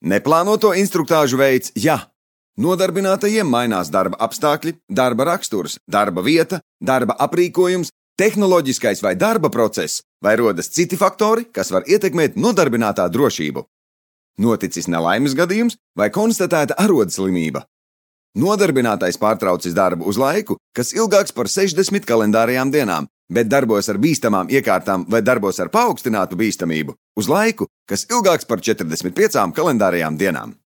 Neplānoto instruktāžu veids, ja nodarbinātajiem mainās darba apstākļi, darba raksturs, darba vieta, darba aprīkojums, tehnoloģiskais vai darba process, vai rodas citi faktori, kas var ietekmēt nodarbinātā drošību. Noticis nelaimes gadījums vai konstatēta arodslimība. Nodarbinātais pārtraucis darbu uz laiku, kas ilgāks par 60 kalendārajām dienām, bet darbos ar bīstamām iekārtām vai darbos ar paaugstinātu bīstamību uz laiku, kas ilgāks par 45 kalendārajām dienām.